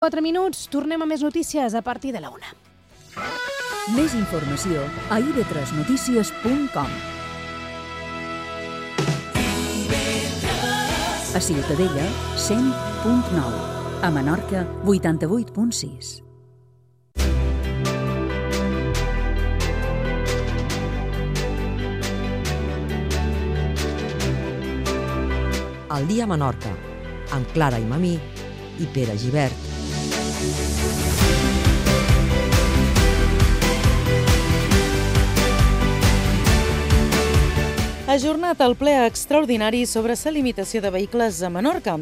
4 minuts, tornem a més notícies a partir de la 1. Més informació a ib3notícies.com. A Ciutadella, 100.9. A Menorca, 88.6. El dia a Menorca, amb Clara i Mamí i Pere Gibert. Ha ajornat el ple extraordinari sobre la limitació de vehicles a Menorca.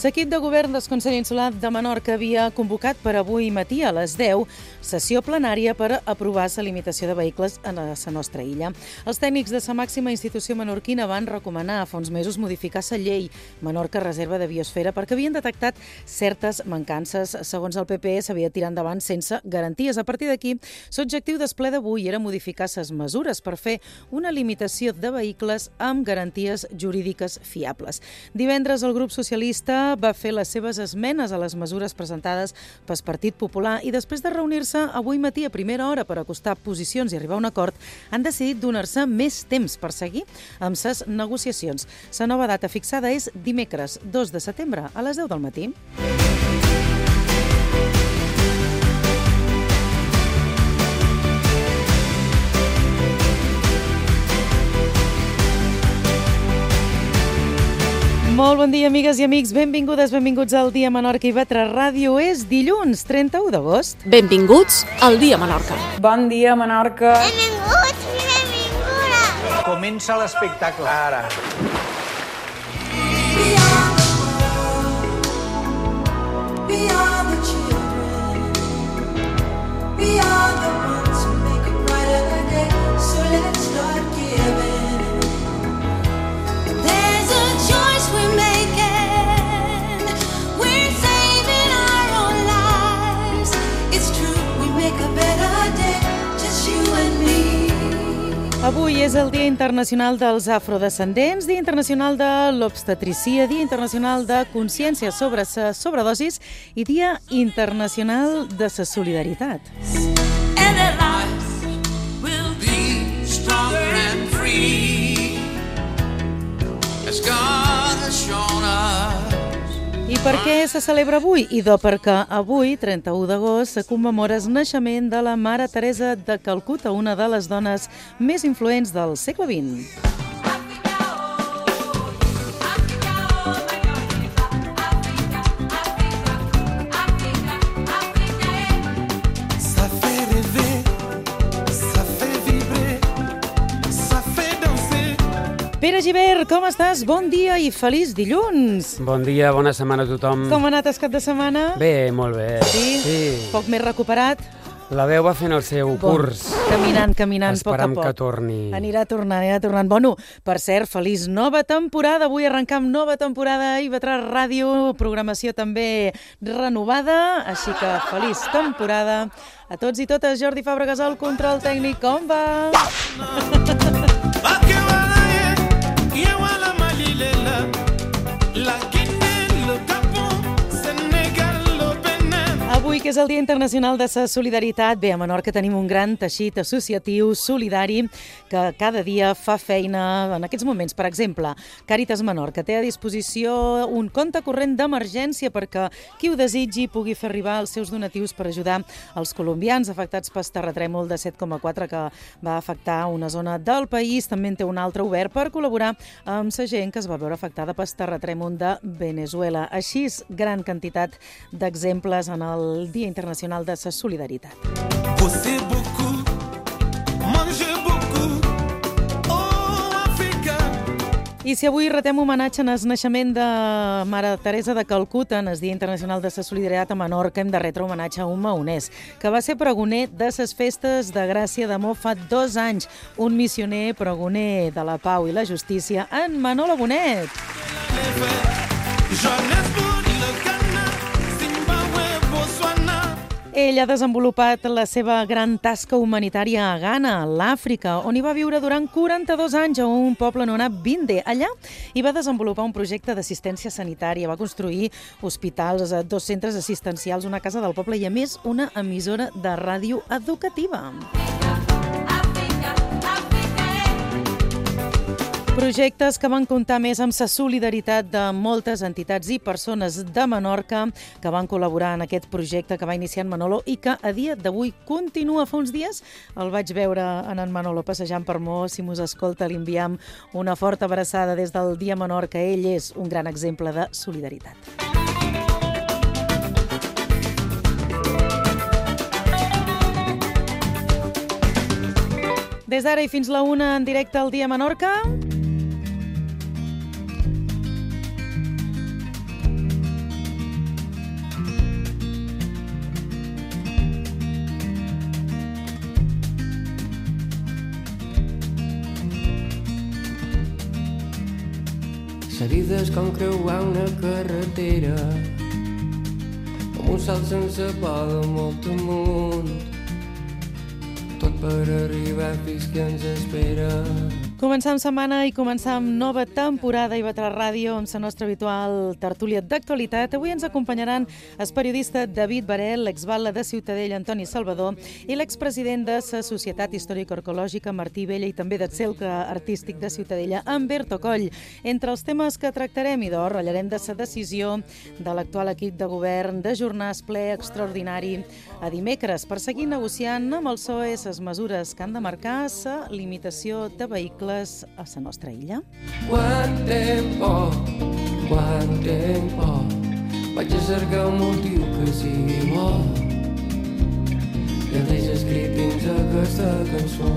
L'equip de govern del Consell Insular de Menorca havia convocat per avui matí a les 10 sessió plenària per aprovar la limitació de vehicles a la nostra illa. Els tècnics de la màxima institució menorquina van recomanar fa uns mesos modificar la llei Menorca Reserva de Biosfera perquè havien detectat certes mancances. Segons el PP, s'havia de tirar endavant sense garanties. A partir d'aquí, l'objectiu del ple d'avui era modificar les mesures per fer una limitació de vehicles amb garanties jurídiques fiables. Divendres el grup socialista va fer les seves esmenes a les mesures presentades pel Partit Popular i després de reunir-se avui matí a primera hora per acostar posicions i arribar a un acord, han decidit donar-se més temps per seguir amb les negociacions. La nova data fixada és dimecres 2 de setembre a les 10 del matí. Molt bon dia, amigues i amics. Benvingudes, benvinguts al Dia Menorca i Vetre Ràdio. És dilluns, 31 d'agost. Benvinguts al Dia Menorca. Bon dia, Menorca. Benvinguts i benvingudes. Comença l'espectacle, ara. Avui és el Dia Internacional dels Afrodescendents, Dia Internacional de l'Obstetricia, Dia Internacional de Consciència sobre la sobredosis i Dia Internacional de la Solidaritat. I per què se celebra avui? Idò perquè avui, 31 d'agost, se commemora el naixement de la Mare Teresa de Calcuta, una de les dones més influents del segle XX. Pere Gibert, com estàs? Bon dia i feliç dilluns! Bon dia, bona setmana a tothom. Com ha anat el cap de setmana? Bé, molt bé. Sí? Poc més recuperat? La veu va fent el seu curs. Caminant, a poc a Esperam poc. que torni. Anirà tornant. Bueno, per cert, feliç nova temporada. Avui arrencam nova temporada a IB3 Ràdio, programació també renovada, així que feliç temporada a tots i totes. Jordi Fàbregas, el control tècnic, com va? Avui, que és el Dia Internacional de la Solidaritat, bé, a Menorca tenim un gran teixit associatiu solidari que cada dia fa feina en aquests moments. Per exemple, Càritas Menorca té a disposició un compte corrent d'emergència perquè qui ho desitgi pugui fer arribar els seus donatius per ajudar els colombians afectats pel terratrèmol de 7,4 que va afectar una zona del país. També en té un altre obert per col·laborar amb la gent que es va veure afectada pel terratrèmol de Venezuela. Així, gran quantitat d'exemples en el Dia Internacional de la Solidaritat. I si avui retem homenatge en el naixement de Mare Teresa de Calcuta, en el Dia Internacional de la Solidaritat a Menorca, hem de retre homenatge a un maonès, que va ser pregoner de les festes de Gràcia d'Amor fa 2 anys, un missioner pregoner de la pau i la justícia, en Manolo Bonet. Ell ha desenvolupat la seva gran tasca humanitària a Ghana, a l'Àfrica, on hi va viure durant 42 anys a un poble anomenat Binde. Allà hi va desenvolupar un projecte d'assistència sanitària, va construir hospitals, 2 centres assistencials, una casa del poble i, a més, una emissora de ràdio educativa. Projectes que van comptar més amb la solidaritat de moltes entitats i persones de Menorca que van col·laborar en aquest projecte que va iniciar en Manolo i que a dia d'avui continua. Fa uns dies el vaig veure en Manolo passejant per Mo. Si mos escolta, li enviem una forta abraçada des del Dia Menorca. Ell és un gran exemple de solidaritat. Des d'ara i fins la 1 en directe al Dia Menorca. La vida és com creuar una carretera amb un salt sense por de molt amunt, tot per arribar fins que ens espera. Començam setmana i començam nova temporada i Vetra Ràdio amb la nostra habitual tertúlia d'actualitat. Avui ens acompanyaran el periodista David Barel, l'exbatlle de Ciutadella Antoni Salvador i l'expresident de la Societat Històrica-Arqueològica Martí Vella i també del Cercle Artístic de Ciutadella, Humberto Coll. Entre els temes que tractarem, idò, ratllarem de la decisió de l'actual equip de govern d'ajornar el ple extraordinari a dimecres per seguir negociant amb el PSOE les mesures que han de marcar la limitació de vehicles a la nostra illa. Quant tempo, vaig a cercar un motiu que sigui bo, que deixa escrit dins aquesta cançó.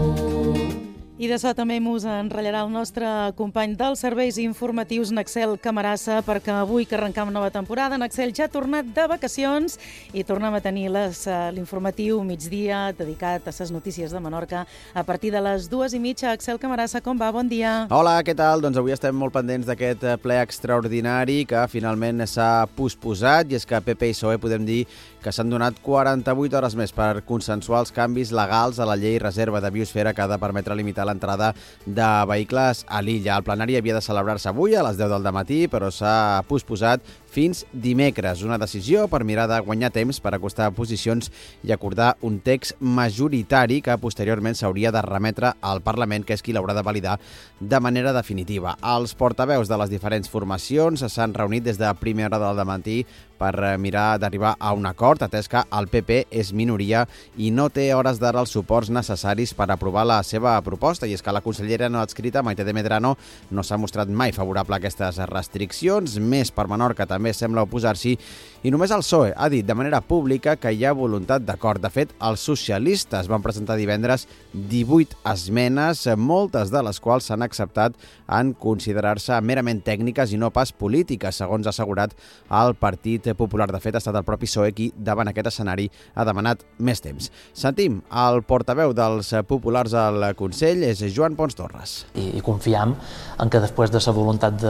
I de so també mos enratllarà el nostre company dels serveis informatius, Naxel Camarasa, perquè avui que arrencam nova temporada, Naxel ja ha tornat de vacacions i tornem a tenir l'informatiu migdia dedicat a les notícies de Menorca a partir de les 2:30. Axel Camarasa, com va? Bon dia. Hola, què tal? Doncs avui estem molt pendents d'aquest ple extraordinari que finalment s'ha posposat, i és que PP i PSOE podem dir que s'han donat 48 hores més per consensuar els canvis legals a la llei reserva de biosfera que ha de permetre limitar l'entrada de vehicles a l'illa. El plenari havia de celebrar-se avui a les 10 del dematí, però s'ha posposat fins dimecres. Una decisió per mirar de guanyar temps per acostar posicions i acordar un text majoritari que posteriorment s'hauria de remetre al Parlament, que és qui l'haurà de validar de manera definitiva. Els portaveus de les diferents formacions s'han reunit des de primera hora del matí per mirar d'arribar a un acord, atès que el PP és minoria i no té a hores d'ara els suports necessaris per aprovar la seva proposta. I és que la consellera no adscrita, Maite de Medrano, no s'ha mostrat mai favorable a aquestes restriccions. Més per Menorca també sembla oposar-s'hi, i només el PSOE ha dit de manera pública que hi ha voluntat d'acord. De fet, els socialistes van presentar divendres 18 esmenes, moltes de les quals s'han acceptat en considerar-se merament tècniques i no pas polítiques, segons ha assegurat el Partit Popular. De fet, ha estat el propi PSOE qui, davant aquest escenari, ha demanat més temps. Sentim el portaveu dels populars al Consell, és Joan Pons Torres. I confiem en que després de la voluntat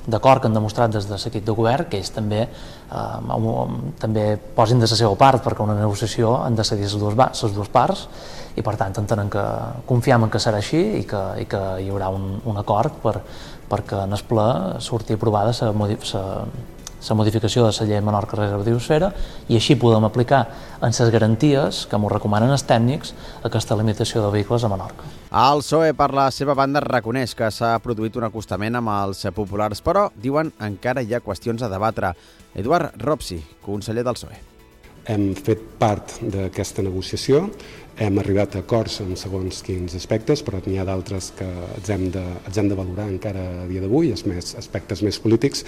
d'acord que han demostrat des de l'equip de govern, que ells també posin de la seva part, perquè una negociació han de cedir les dues parts, i per tant entenem que confiem en que serà així i que hi haurà un acord perquè en el ple surti aprovada la modificació de la llei de Menorca reserva de biosfera, i així podem aplicar en les garanties que ens recomanen els tècnics aquesta limitació de vehicles a Menorca. El PSOE, per la seva banda, reconeix que s'ha produït un acostament amb els populars, però, diuen, encara hi ha qüestions a debatre. Eduard Ropsi, conseller del PSOE. Hem fet part d'aquesta negociació, hem arribat a acords en segons quins aspectes, però n'hi ha d'altres que els hem de valorar encara a dia d'avui, aspectes més polítics,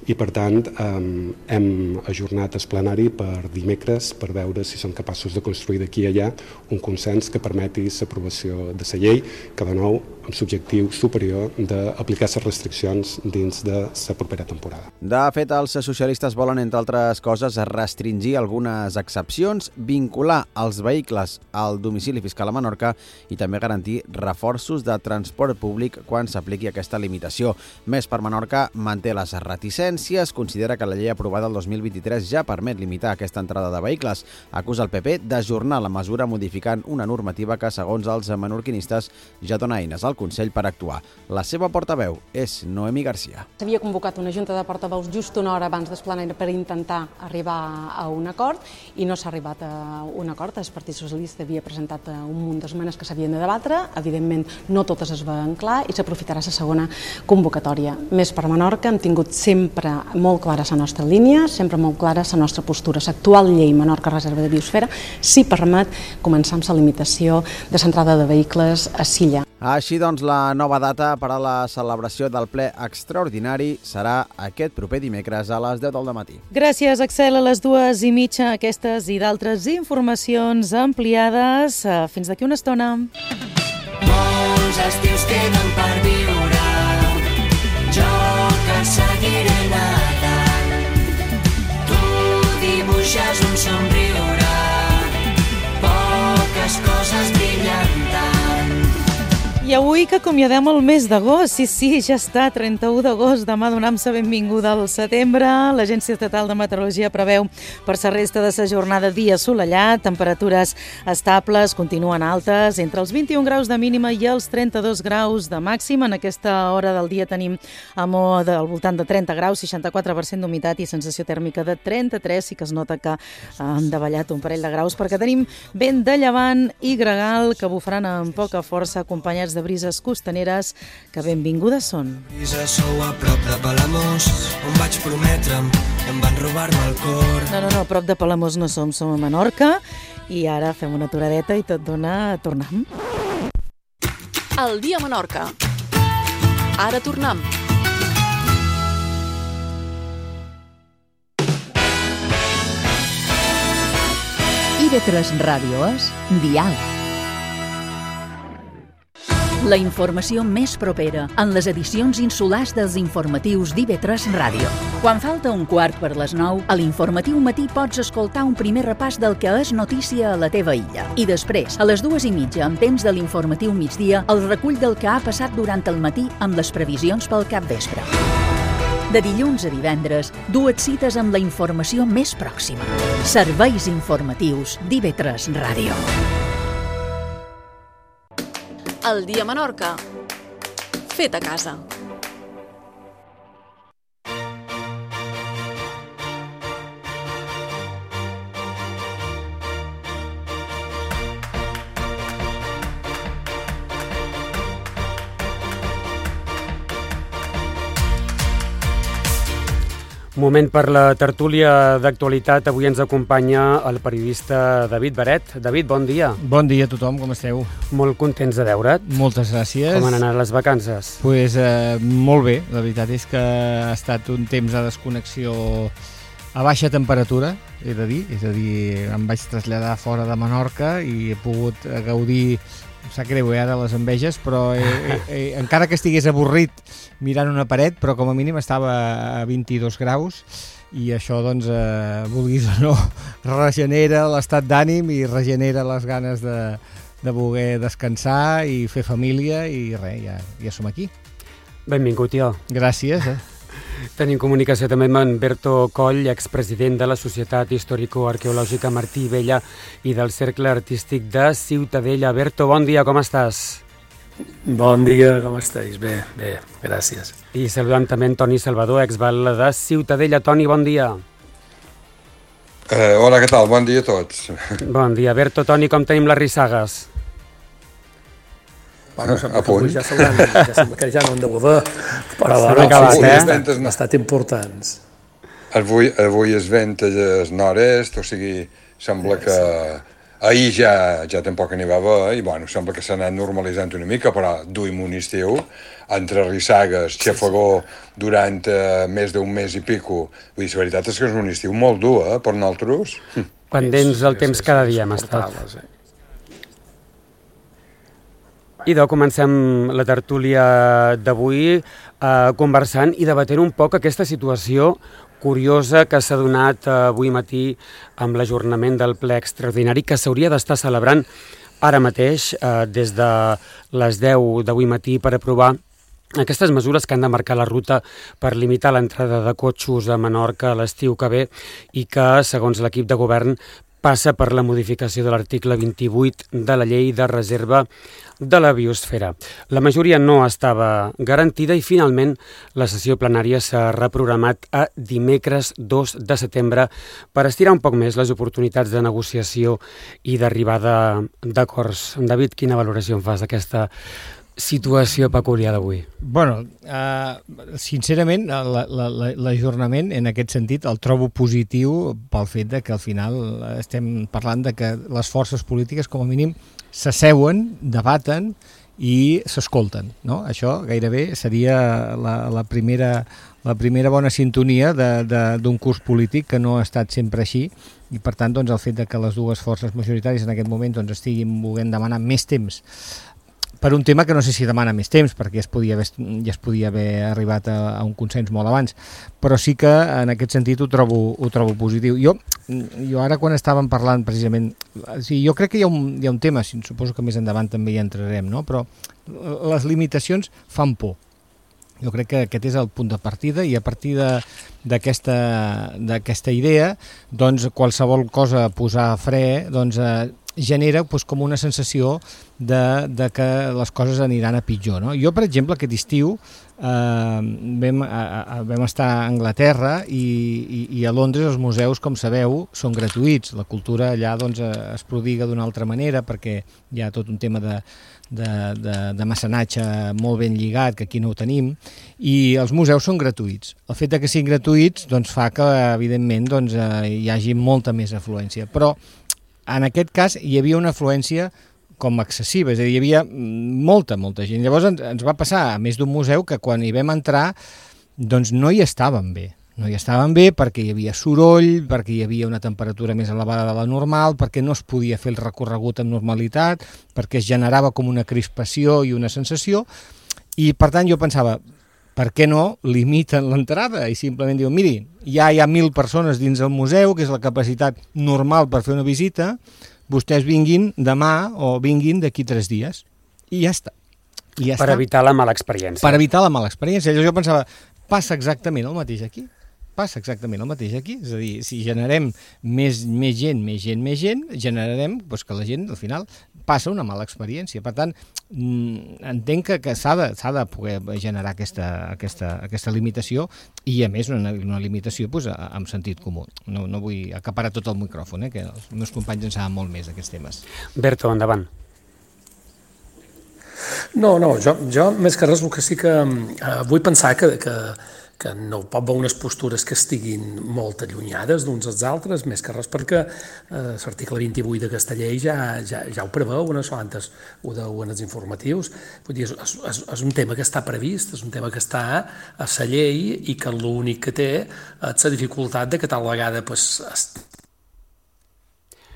i per tant hem ajornat el plenari per dimecres per veure si som capaços de construir d'aquí a allà un consens que permeti l'aprovació de la llei, que de nou amb l'objectiu superior d'aplicar les restriccions dins de la propera temporada. De fet, els socialistes volen, entre altres coses, restringir algunes excepcions, vincular els vehicles al del domicili fiscal a Menorca i també garantir reforços de transport públic quan s'apliqui aquesta limitació. Més per Menorca manté les reticències, considera que la llei aprovada el 2023 ja permet limitar aquesta entrada de vehicles. Acusa el PP d'ajornar la mesura modificant una normativa que, segons els menorquinistes, ja dona eines al Consell per actuar. La seva portaveu és Noemi Garcia. S'havia convocat una junta de portaveus just una hora abans d'Esplanada per intentar arribar a un acord i no s'ha arribat a un acord. El Partit Socialista havia presentat un munt d'esmenes que s'havien de debatre. Evidentment, no totes es veuen clar i s'aprofitarà la segona convocatòria. Més per Menorca, hem tingut sempre molt clara la nostra línia, sempre molt clara la nostra postura. L'actual llei Menorca Reserva de Biosfera sí permet començar amb la limitació de l'entrada de vehicles a Silla. Així doncs, la nova data per a la celebració del ple extraordinari serà aquest proper dimecres a les 10 del matí. Gràcies, Axel. A les 2:30, aquestes i d'altres informacions ampliades. Fins d'aquí una estona. Molts estius queden per viure, jo que seguiré nedant. Tu dibuixes un somriure, poques coses brillen tant. I avui que acomiadem el mes d'agost, sí, ja està, 31 d'agost, demà donam-se benvinguda al setembre. L'Agència Estatal de Meteorologia preveu per la resta de la jornada dia assolellat, temperatures estables, continuen altes, entre els 21 graus de mínima i els 32 graus de màxima. En aquesta hora del dia tenim al voltant de 30 graus, 64% d'humitat i sensació tèrmica de 33, sí que es nota que han davallat un parell de graus perquè tenim vent de llevant i gregal que bufaran amb poca força, acompanyats de brises costaneres que benvingudes són. Sou a prop de Palamós, on vaig prometre'm, em van robar-me el cor. No, a prop de Palamós no som a Menorca i ara fem una aturadeta i tot dona, tornem. El dia a Menorca. Ara tornem. IB3 Ràdio és Dial. La informació més propera en les edicions insulars dels informatius d'IB3 Ràdio. Quan falta un quart per les 9, a l'informatiu matí pots escoltar un primer repàs del que és notícia a la teva illa. I després, a les 2:30, en temps de l'informatiu migdia, el recull del que ha passat durant el matí amb les previsions pel capvespre. De dilluns a divendres, dues cites amb la informació més pròxima. Serveis informatius d'IB3 Ràdio. El dia a Menorca. Fet a casa. Moment per la tertúlia d'actualitat. Avui ens acompanya el periodista David Beret. David, bon dia. Bon dia a tothom, com esteu? Molt contents de veure't. Moltes gràcies. Com han anat les vacances? Pues, molt bé, la veritat és que ha estat un temps de desconnexió a baixa temperatura, he de dir, és a dir, em vaig traslladar fora de Menorca i he pogut gaudir, em sap greu ara les enveges, però encara que estigués avorrit mirant una paret, però com a mínim estava a 22 graus i això, doncs, vulguis o no, regenera l'estat d'ànim i regenera les ganes de voler descansar i fer família i res, ja som aquí. Benvingut, tio. Gràcies. Tenim comunicació també amb en Berto Coll, expresident de la Societat Històrico-Arqueològica Martí Vella i del Cercle Artístic de Ciutadella. Berto, bon dia, com estàs? Bon dia, com estàs? Bé, gràcies. I saludant també en Toni Salvador, exbatlle de Ciutadella. Toni, bon dia. Hola, què tal? Bon dia a tots. Bon dia. Berto, Toni, com tenim les rissagues? Bueno, sembla que ja no han de poder, però han estat importants. Avui es vent al nord-est, o sigui, sembla que ahir ja tampoc n'hi va haver, i bueno, sembla que s'ha anat normalitzant una mica, però duim un estiu, entre rissagues, xafogó, durant més d'un mes i pico. Vull dir, la veritat és que és un estiu molt dur, per nosaltres. Pendents del temps cada dia hem estat. Idò, comencem la tertúlia d'avui conversant i debatent un poc aquesta situació curiosa que s'ha donat avui matí amb l'ajornament del ple extraordinari que s'hauria d'estar celebrant ara mateix, des de les 10 d'avui matí, per aprovar aquestes mesures que han de marcar la ruta per limitar l'entrada de cotxos a Menorca a l'estiu que ve i que, segons l'equip de govern, passa per la modificació de l'article 28 de la llei de reserva de la biosfera. La majoria no estava garantida i finalment la sessió plenària s'ha reprogramat a dimecres 2 de setembre per estirar un poc més les oportunitats de negociació i d'arribada d'acords. David, quina valoració en fas d'aquesta situació peculiar d'avui? Bueno, sincerament, l'ajornament en aquest sentit el trobo positiu pel fet de que al final estem parlant de que les forces polítiques com a mínim s'asseuen, debaten i s'escolten, no? Això gairebé seria la primera bona sintonia d'un curs polític que no ha estat sempre així i per tant doncs, el fet de que les dues forces majoritàries en aquest moment doncs, estiguin volent demanar més temps per un tema que no sé si demana més temps, perquè ja es podia haver arribat a un consens molt abans, però sí que en aquest sentit ho trobo positiu. Jo ara quan estàvem parlant precisament, jo crec que hi ha un tema, suposo que més endavant també hi entrarem, no? Però les limitacions fan por. Jo crec que aquest és el punt de partida i a partir d'aquesta idea, doncs qualsevol cosa a posar a fre, doncs genera com una sensació de que les coses aniran a pitjor, no? Jo, per exemple, aquest estiu vam estar a Anglaterra i a Londres els museus, com sabeu, són gratuïts. La cultura allà doncs, es prodiga d'una altra manera perquè hi ha tot un tema de mecenatge molt ben lligat, que aquí no ho tenim, i els museus són gratuïts. El fet que siguin gratuïts doncs, fa que, evidentment, doncs, hi hagi molta més afluència. Però en aquest cas hi havia una afluència com excessiva, és a dir, hi havia molta gent. Llavors ens va passar a més d'un museu que quan hi vam entrar doncs no hi estàvem bé. No hi estàvem bé perquè hi havia soroll, perquè hi havia una temperatura més elevada de la normal, perquè no es podia fer el recorregut amb normalitat, perquè es generava com una crispació i una sensació, i per tant jo pensava, per què no limiten l'entrada i simplement diuen, miri, ja hi ha 1.000 persones dins el museu, que és la capacitat normal per fer una visita, vostès vinguin demà o vinguin d'aquí 3 dies. I ja està. Per evitar la mala experiència. Per evitar la mala experiència. Llavors jo pensava, passa exactament el mateix aquí. És a dir, si generem més gent, generarem que la gent, al final, passa una mala experiència. Per tant, entenc que s'ha de poder generar aquesta limitació i, a més, una limitació amb sentit comú. No vull acaparar tot el micròfon, que els meus companys en saben molt més d'aquests temes. Berto, endavant. No, jo més que res el que sí que vull pensar que no pot haver unes postures que estiguin molt allunyades d'uns als altres, més que res perquè l'article 28 d'aquesta llei ja ho preveu, antes ho deuen els informatius. Vull dir, és un tema que està previst, és un tema que està a la llei i que l'únic que té és la dificultat de que tal vegada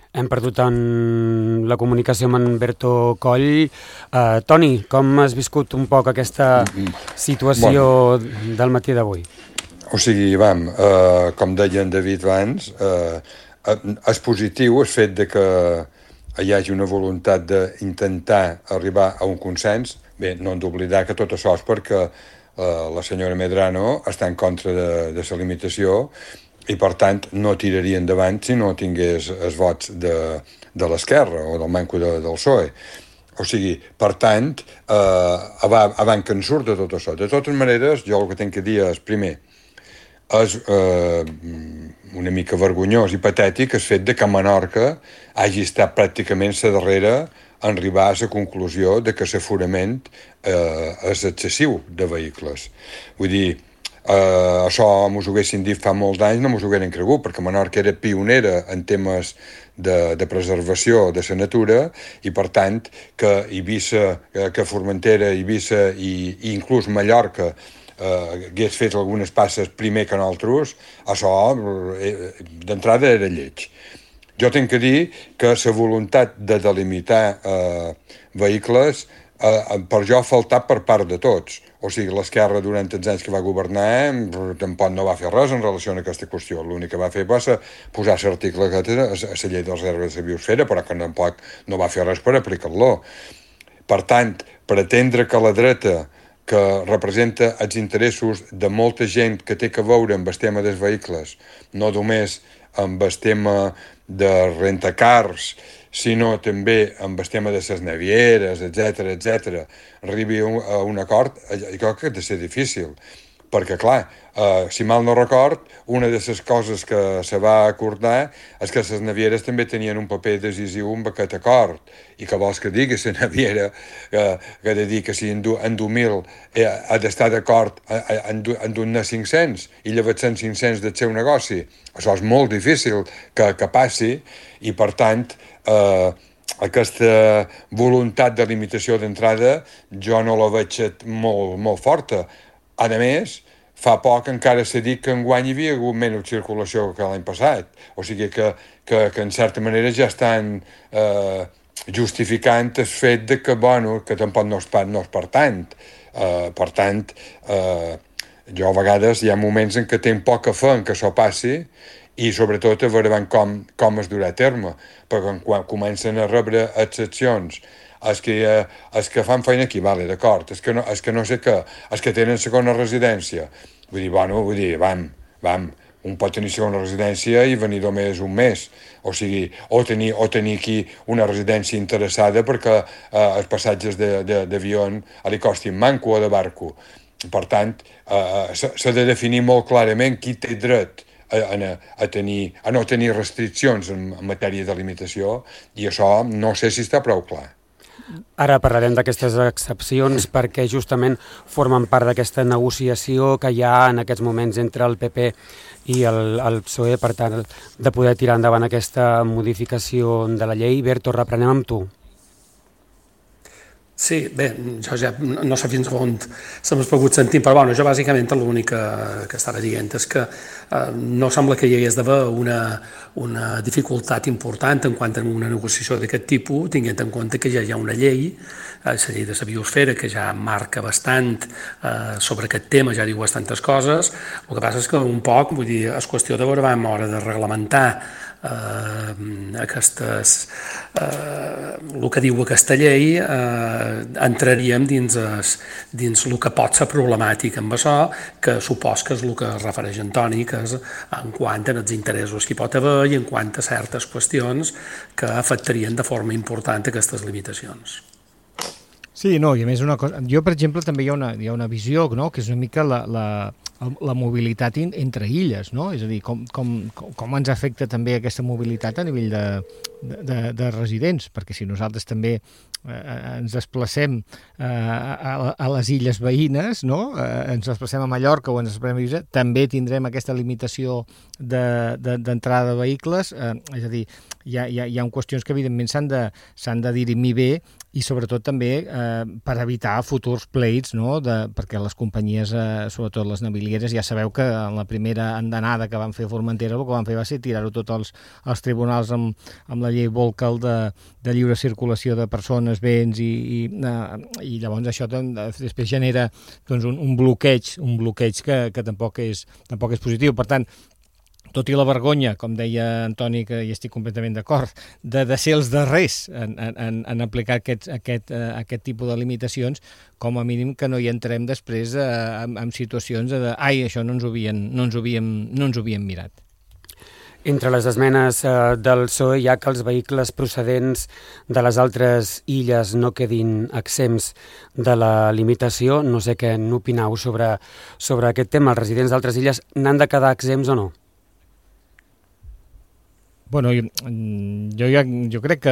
hem perdut la comunicació amb en Berto Coll. Toni, com has viscut un poc aquesta situació del matí d'avui? O sigui, com deia en David abans, és positiu el fet de que hi hagi una voluntat d'intentar arribar a un consens. Bé, no hem d'oblidar que tot això és perquè la senyora Medrano està en contra de la limitació i, per tant, no tiraria endavant si no tingués els vots de l'esquerra o del manco del PSOE. O sigui, per tant, abans que en surt de tot això. De totes maneres, jo el que tinc que dir és, primer, és una mica vergonyós i patètic el fet de que Menorca hagi estat pràcticament la darrera en arribar a la conclusió de que l'aforament és excessiu de vehicles. Vull dir, això mos ho haguessin dit fa molts anys, no mos ho hagueren cregut, perquè Menorca era pionera en temes de preservació de la natura i, per tant, que Eivissa, que Formentera, Eivissa i inclús Mallorca hagués fet algunes passes primer que nosaltres, això d'entrada era lleig. Jo tinc que dir que la voluntat de delimitar vehicles per jo ha faltat per part de tots. O sigui, l'esquerra durant els anys que va governar tampoc no va fer res en relació a aquesta qüestió. L'únic que va fer va posar l'article a la llei de reserves de biosfera, però que tampoc no va fer res per aplicar-lo. Per tant, pretendre que la dreta, que representa els interessos de molta gent que té que veure amb el tema dels vehicles, no només amb el tema de rentacars, sinó també amb el tema de les navieres, etc., arribi a un acord, jo crec que ha de ser difícil. Perquè, clar, si mal no record, una de les coses que se va acordar és que les navieres també tenien un paper decisiu en aquest acord. I que vols que digui la naviera que ha de dir que si en 1.000 ha d'estar d'acord en donar 500 i llavors 500 del seu negoci. Això és molt difícil que passi i, per tant, aquesta voluntat de limitació d'entrada jo no la veig molt forta. A més, fa poc encara s'ha dit que enguany hi havia hagut menys circulació que l'any passat. O sigui que en certa manera ja estan justificant el fet de que, bueno, que tampoc no és per tant. Per tant, jo a vegades hi ha moments en què tinc poca fe en que això passi i sobretot a veure com es durà a terme. Perquè quan comencen a rebre excepcions els que fan feina aquí, vale, d'acord, és que no sé què, els que tenen segona residència, vull dir, vam, un pot tenir segona residència i venir només un mes, o sigui, o tenir aquí una residència interessada perquè els passatges d'avió li costin manco o de barco. Per tant, s'ha de definir molt clarament qui té dret a no tenir restriccions en matèria de limitació i això no sé si està prou clar. Ara parlarem d'aquestes excepcions perquè justament formen part d'aquesta negociació que hi ha en aquests moments entre el PP i el PSOE, per tant, de poder tirar endavant aquesta modificació de la llei. Berto, reprenem amb tu. Sí, bé, jo ja no sé fins on se m'ha pogut sentir, però bueno, jo bàsicament l'únic que estava dient és que no sembla que hi hagués d'haver una dificultat important en quant a una negociació d'aquest tipus, tenint en compte que ja hi ha una llei, la llei de la biosfera, que ja marca bastant sobre aquest tema, ja diu bastantes coses. El que passa és que un poc, vull dir, és qüestió de veure a l'hora de reglamentar el que diu aquesta llei, entraríem dins el que pot ser problemàtic amb això, que supos que és el que es refereix Antoni, que és en quant als interessos que hi pot haver i en quant a certes qüestions que afectarien de forma important aquestes limitacions. Sí, no, i a més una cosa, jo per exemple també hi ha una visió, no?, que és una mica la mobilitat entre illes, no? És a dir, com ens afecta també aquesta mobilitat a nivell de residents, perquè si nosaltres també ens desplacem a les illes veïnes, no? Ens desplacem a Mallorca o ens desplacem a Ibiza, també tindrem aquesta limitació d'entrada de vehicles, és a dir, hi ha qüestions que evidentment s'han de dirimir bé i sobretot també per evitar futurs pleits, no? Perquè les companyies, sobretot les navilieres, ja sabeu que en la primera andanada que van fer a Formentera el que van fer va ser tirar-ho tot als tribunals amb la llei Volcal de lliure circulació de persones, béns i llavors això després genera doncs, un bloqueig que tampoc és positiu. Per tant, tot i la vergonya, com deia Antoni, que hi estic completament d'acord, de ser els darrers en aplicar aquest tipus de limitacions, com a mínim que no hi entrem després en situacions de ai, això no ens ho havíem mirat. Entre les esmenes del PSOE hi ha que els vehicles procedents de les altres illes no quedin exempts de la limitació. No sé què n'opineu sobre aquest tema. Els residents d'altres illes n'han de quedar exempts o no? Bueno, jo crec que,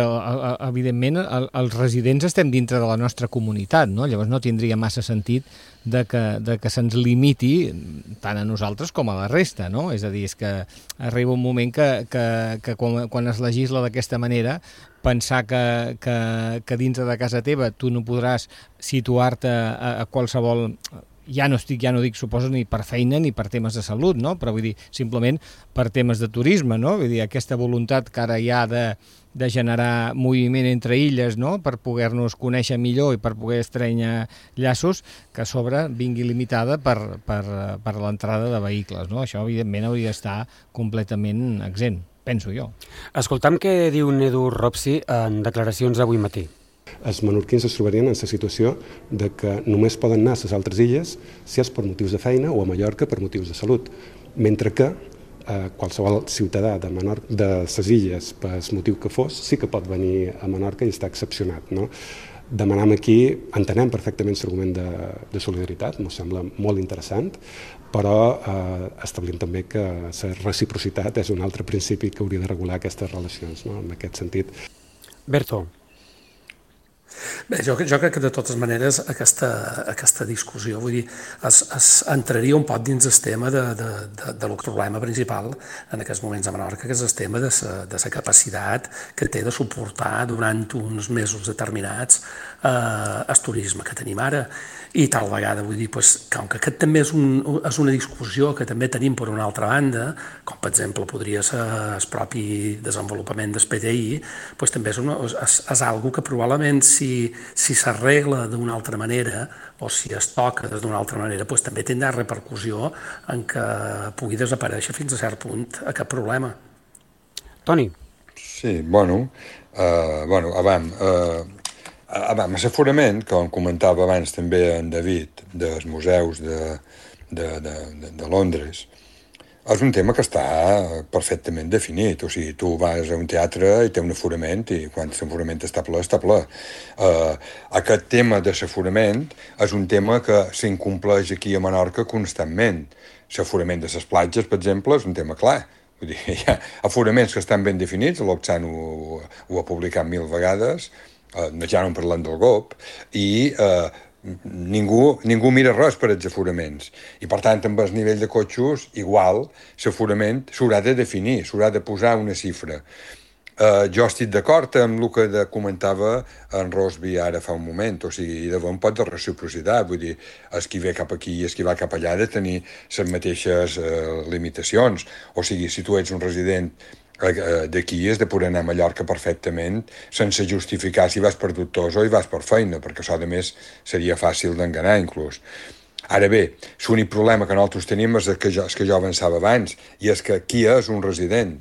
evidentment, els residents estem dintre de la nostra comunitat, no? Llavors no tindria massa sentit de que se'ns limiti tant a nosaltres com a la resta, no? És a dir, és que arriba un moment que quan es legisla d'aquesta manera, pensar que dintre de casa teva tu no podràs situar-te a qualsevol ja no dic, suposo, ni per feina ni per temes de salut, no? Però vull dir, simplement per temes de turisme, no? Vull dir, aquesta voluntat que ara hi ha de generar moviment entre illes, no? Per poder-nos conèixer millor i per poder estrènyer llaços, que a sobre vingui limitada per l'entrada de vehicles, no? Això, evidentment, hauria d'estar completament exempt, penso jo. Escoltam què diu Edu Ropsi en declaracions avui matí. Els menorquins es trobarien en la situació de que només poden anar a les altres illes si és per motius de feina o a Mallorca per motius de salut, mentre que qualsevol ciutadà de les illes, per motiu que fos, sí que pot venir a Menorca i està excepcionat, no? Demanem aquí, entenem perfectament l'argument de solidaritat, ens sembla molt interessant, però establim també que la reciprocitat és un altre principi que hauria de regular aquestes relacions, no? En aquest sentit. Berto. Bé, jo crec que de totes maneres aquesta discussió, vull dir, es entraria un poc dins el tema del problema principal en aquests moments a Menorca, que és el tema de la capacitat que té de suportar durant uns mesos determinats el turisme que tenim ara. I tal vegada, vull dir, com que aquest també és una discussió que també tenim per una altra banda, com per exemple podria ser el propi desenvolupament del PDI, també és algo que probablement si s'arregla d'una altra manera o si es toca d'una altra manera, també tindrà repercussió en què pugui desaparèixer fins a cert punt aquest problema. Toni. Sí, amb l'aforament, com comentava abans també en David, dels museus de Londres, és un tema que està perfectament definit. O sigui, tu vas a un teatre i té un aforament i quan l'aforament està ple, està ple. Aquest tema de l'aforament és un tema que s'incompleix aquí a Menorca constantment. L'aforament de les platges, per exemple, és un tema clar. Vull dir, hi ha aforaments que estan ben definits, l'Oxan ho ha publicat 1000 vegades, ja no parlant del GOP, i ningú mira res per els aforaments. I per tant, amb el nivell de cotxos, igual, l'aforament s'haurà de definir, s'haurà de posar una xifra. Jo estic d'acord amb el que comentava en Rosby ara fa un moment, o sigui, de bon pot de reciprocitat, vull dir, els qui ve cap aquí i els qui va cap allà de tenir les mateixes limitacions. O sigui, si tu ets un resident d'aquí has de poder anar a Mallorca perfectament sense justificar si vas per dubtós o hi vas per feina, perquè això, a més, seria fàcil d'enganar, inclús. Ara bé, l'únic problema que nosaltres tenim és el que jo avançava abans, i és que qui és un resident?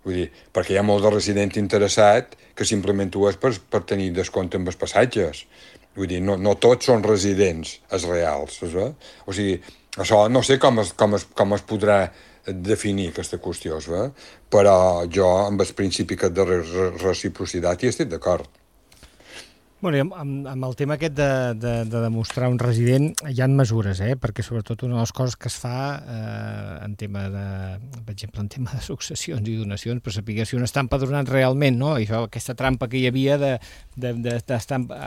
Vull dir, perquè hi ha molt de resident interessat que simplement ho és per tenir descompte amb els passatges. Vull dir, no tots són residents, els reals. O sigui, això no sé com es podrà definir aquesta qüestió, però jo amb el principi de reciprocitat hi estic d'acord. Bueno, amb el tema aquest de demostrar un resident hi ha mesures, perquè sobretot una de les coses que es fa en tema per exemple, en tema de successions i donacions, per saber si un està empadronat realment, no? I això, aquesta trampa que hi havia d'estar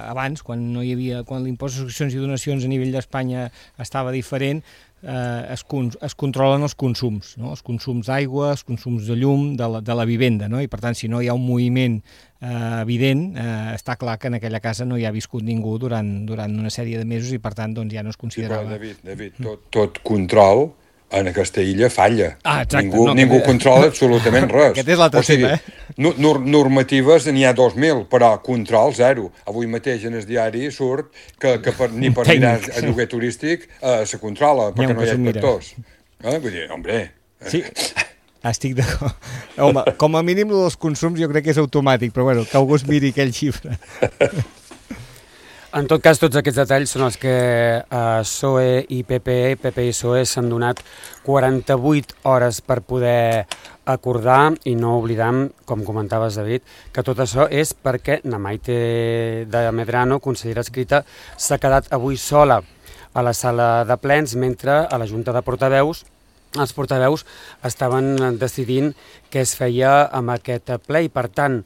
abans, quan l'impost de successions i donacions a nivell d'Espanya estava diferent, es controlen els consums, no? Els consums d'aigua, els consums de llum, de la vivenda, no? I per tant, si no hi ha un moviment evident, està clar que en aquella casa no hi ha viscut ningú durant una sèrie de mesos i per tant doncs, ja no es considerava... Sí, però David, tot control en aquesta illa falla. Exacte. Ningú controla absolutament res. Aquest és l'altre tema, normatives n'hi ha 2.000, però control zero. Avui mateix en el diari surt que ni per mirar a lloguer turístic se controla, perquè no hi ha inspectors. Vull dir, hombre... Sí. Estic d'acord. Home, com a mínim dels consums jo crec que és automàtic, però bueno, que algú es miri aquell xifra. En tot cas, tots aquests detalls són els que PSOE i PP i PSOE s'han donat 48 hores per poder acordar i no oblidam, com comentaves, David, que tot això és perquè Namaite de Medrano, consellera escrita, s'ha quedat avui sola a la sala de plens, mentre a la Junta de Portaveus els portaveus estaven decidint què es feia amb aquest ple i, per tant,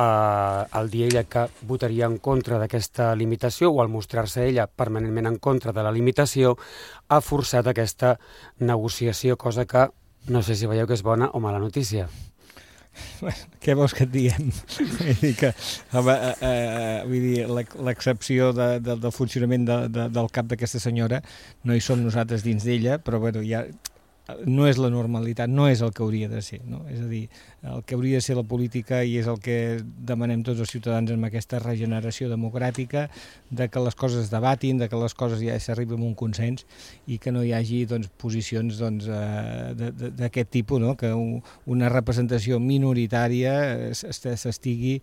al dir ella que votaria en contra d'aquesta limitació o al mostrar-se ella permanentment en contra de la limitació, ha forçat aquesta negociació, cosa que no sé si veieu que és bona o mala notícia. Què vols que et diguem? Vull dir, l'excepció del funcionament del cap d'aquesta senyora no hi som nosaltres dins d'ella, però bueno, ja no és la normalitat, no és el que hauria de ser, no? És a dir, el que hauria de ser la política i és el que demanem tots els ciutadans amb aquesta regeneració democràtica, de que les coses es debatin, de que les coses ja s'arribi a un consens i que no hi hagi posicions d'aquest tipus, no? Que una representació minoritària s'estigui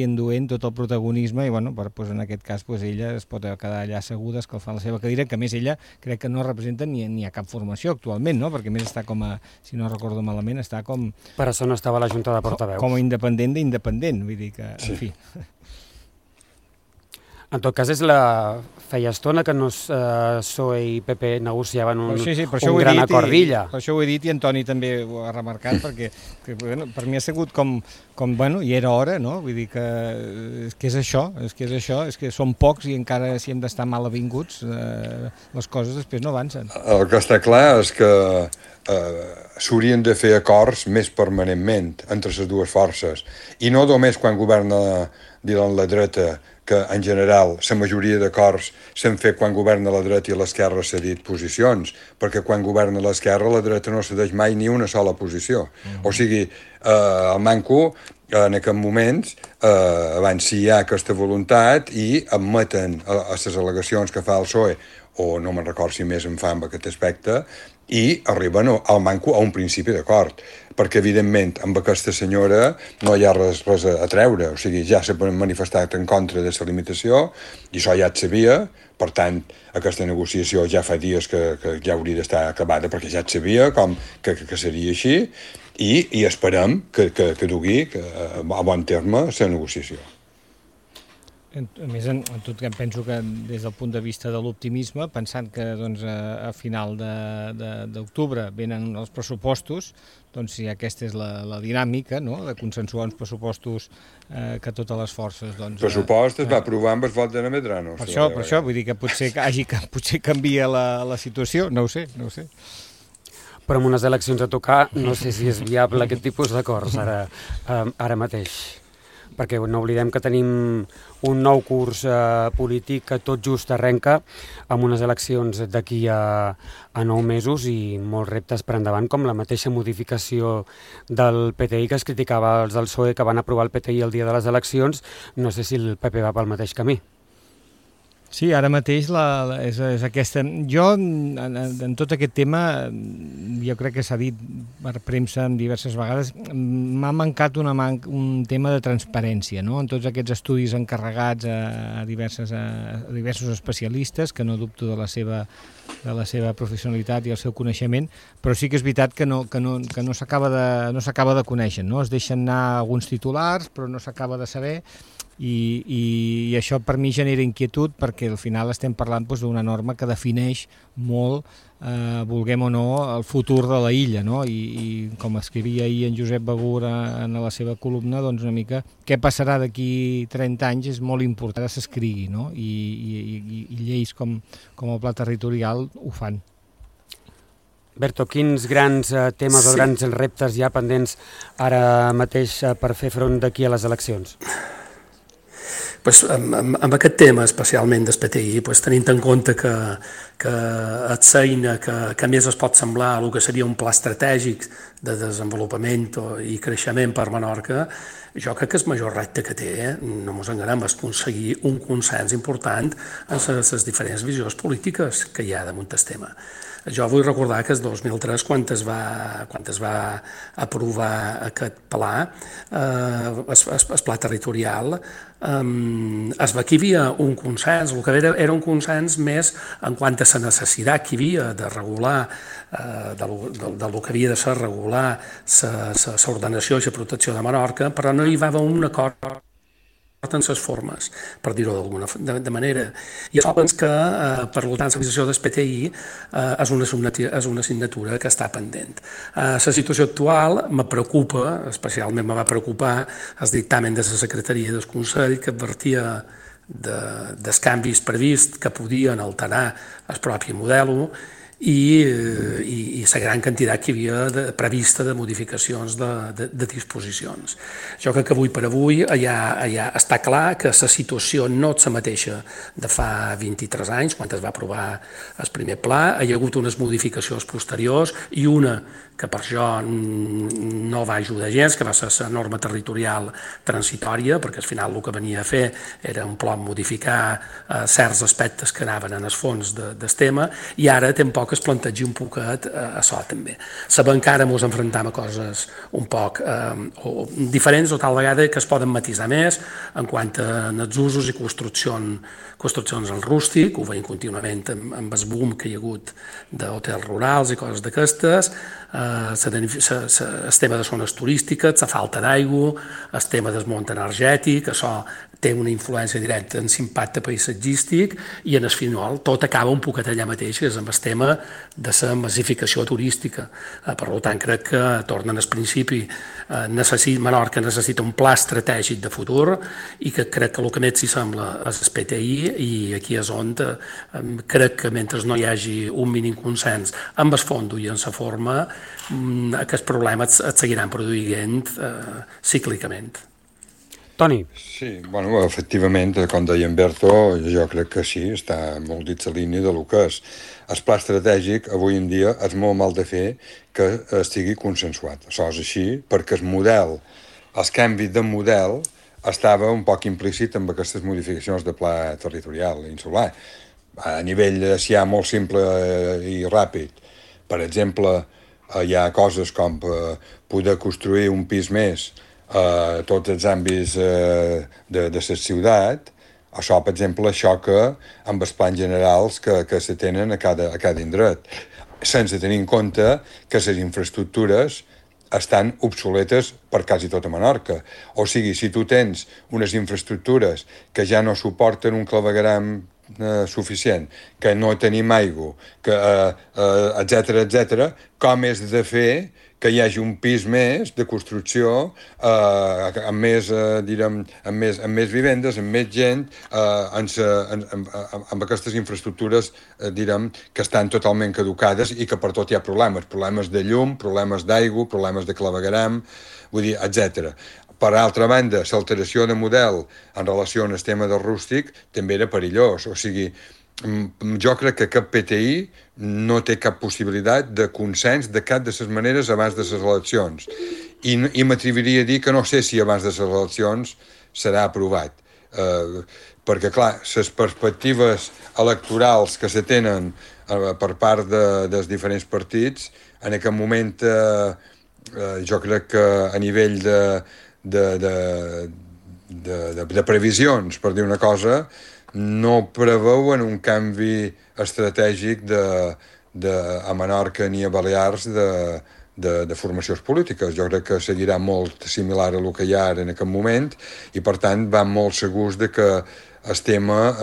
enduent tot el protagonisme i bueno, en aquest cas ella es pot quedar allà asseguda, escalfant la seva cadira, que a més ella crec que no representa ni a cap formació actualment, no? Perquè a més està com a, si no recordo malament, està com... Per això no estava a la Junta de Portaveus. Com a independent d'independent, vull dir que, en fi... En tot cas, feia estona que PSOE i PP negociaven un gran acord d'illa. Per això ho he dit i Antoni també ho ha remarcat, perquè per mi ha sigut com i era hora, no? Vull dir que és això, és que som pocs i encara si hem d'estar mal avinguts, les coses després no avancen. El que està clar és que s'haurien de fer acords més permanentment entre les dues forces, i no només quan governa la dreta, que en general la majoria d'acords s'han fet quan governa la dreta i l'esquerra s'ha dit posicions, perquè quan governa l'esquerra la dreta no cedeix mai ni una sola posició. O sigui, el manco en aquests moments abans si hi ha aquesta voluntat i admeten a les al·legacions que fa el PSOE, o no me'n record si més en fa en aquest aspecte, i arriben al manco a un principi d'acord, perquè evidentment amb aquesta senyora no hi ha res a treure, o sigui, ja s'ha manifestat en contra de la limitació i això ja et sabia, per tant aquesta negociació ja fa dies que ja hauria d'estar acabada perquè ja et sabia que seria així i esperem que dugui a bon terme la negociació. A més, en tot cas, penso que des del punt de vista de l'optimisme, pensant que a final d'octubre venen els pressupostos, doncs si aquesta és la dinàmica, no?, de consensuar uns pressupostos que totes les forces... El pressupost es va aprovar amb el vot de Medrano. Per això, vull dir que potser canvia la situació, no ho sé. Però amb unes eleccions a tocar no sé si és viable aquest tipus d'acords ara mateix. Perquè no oblidem que tenim un nou curs polític que tot just arrenca amb unes eleccions d'aquí a 9 mesos i molts reptes per endavant, com la mateixa modificació del PTI que es criticava els del PSOE que van aprovar el PTI el dia de les eleccions. No sé si el PP va pel mateix camí. Sí, ara mateix és aquesta... Jo, en tot aquest tema, jo crec que s'ha dit per premsa diverses vegades, m'ha mancat un tema de transparència, no? En tots aquests estudis encarregats a diversos especialistes, que no dubto de la seva professionalitat i el seu coneixement, però sí que és veritat que no s'acaba de conèixer, no? Es deixen anar alguns titulars, però no s'acaba de saber, i això per mi genera inquietud perquè al final estem parlant d'una norma que defineix molt, vulguem o no, el futur de la illa, no? I com escrivia ahir en Josep Begur en la seva columna, doncs una mica què passarà d'aquí 30 anys és molt important que s'escrigui, no? I lleis com el Pla Territorial ho fan. Berto, quins grans temes o grans reptes hi ha pendents ara mateix per fer front d'aquí a les eleccions? Amb aquest tema, especialment del PTI, tenint en compte que és eina que més es pot semblar a el que seria un pla estratègic de desenvolupament i creixement per Menorca, jo crec que el major repte que té, no ens enganem, és aconseguir un consens important en les diferents visions polítiques que hi ha damunt del tema. Jo vull recordar que el 2003, quan es va aprovar aquest pla, el pla territorial, es va que hi havia un consens, el que era un consens més en quant a la necessitat que hi havia de regular, del que havia de ser regular l'ordenació i la protecció de Menorca, però no hi va haver un acord en les formes, per dir-ho d'alguna manera. I això penso que, per tant, la realització del PTI és una assignatura que està pendent. La situació actual me preocupa, especialment me va preocupar el dictamen de la Secretaria del Consell que advertia dels canvis prevists que podien alterar el propi model i la gran quantitat que hi havia prevista de modificacions de disposicions. Jo crec que avui per avui ja està clar que la situació no és la mateixa de fa 23 anys, quan es va aprovar el primer pla. Hi ha hagut unes modificacions posteriors i una que per això no va ajudar gens, que va ser la norma territorial transitòria, perquè al final el que venia a fer era un plom modificar certs aspectes que anaven en el fons del tema, i ara tampoc es plantegi un poquet a això també. Sabem que ara ens enfrontem a coses un poc diferents o tal vegada que es poden matisar més en quant a els usos i construccions al rústic. Ho veiem contínuament amb el boom que hi ha hagut d'hotels rurals i coses d'aquestes, el tema de zones turístiques, la falta d'aigua, el tema del món energètic, això té una influència directa en l'impacte paisatgístic, i en el final tot acaba un poquet allà mateix, que és amb el tema de la massificació turística. Per tant, crec que, tornen al principi, Menorca necessita un pla estratègic de futur, i que crec que el que més s'hi sembla és el PTI, i aquí és on crec que mentre no hi hagi un mínim consens amb el fons i en la forma, aquests problemes es seguiran produint cíclicament. Toni. Sí, bueno, efectivament, com deia en Berto, jo crec que sí, està molt dit la línia de lo que és. El pla estratègic, avui en dia, és molt mal de fer que estigui consensuat. Això és així, perquè el canvi de model estava un poc implícit amb aquestes modificacions de pla territorial insular. A nivell molt simple i ràpid. Per exemple, hi ha coses com poder construir un pis més a tots els àmbits de la ciutat. Això, per exemple, xoca amb els plans generals que se tenen a cada indret, sense tenir en compte que les infraestructures estan obsoletes per quasi tota Menorca. O sigui, si tu tens unes infraestructures que ja no suporten un clavegueram suficient, que no tenim aigua, etc., com és de fer que hi hagi un pis més de construcció amb més vivendes, amb més gent, amb aquestes infraestructures que estan totalment caducades i que per tot hi ha problemes de llum, problemes d'aigua, problemes de clavegueram, vull dir, etc. Per altra banda, l'alteració de model en relació al tema del rústic també era perillós. O sigui, jo crec que cap PTI no té cap possibilitat de consens de cap de les maneres abans de les eleccions. I m'atreviria a dir que no sé si abans de les eleccions serà aprovat. Perquè, clar, les perspectives electorals que se tenen per part dels diferents partits, en aquest moment jo crec que a nivell de previsions, per dir una cosa, no preveuen un canvi estratègic a Menorca ni a Balears de formacions polítiques. Jo crec que seguirà molt similar a el que hi ha ara en aquest moment, i per tant van molt segurs de que el tema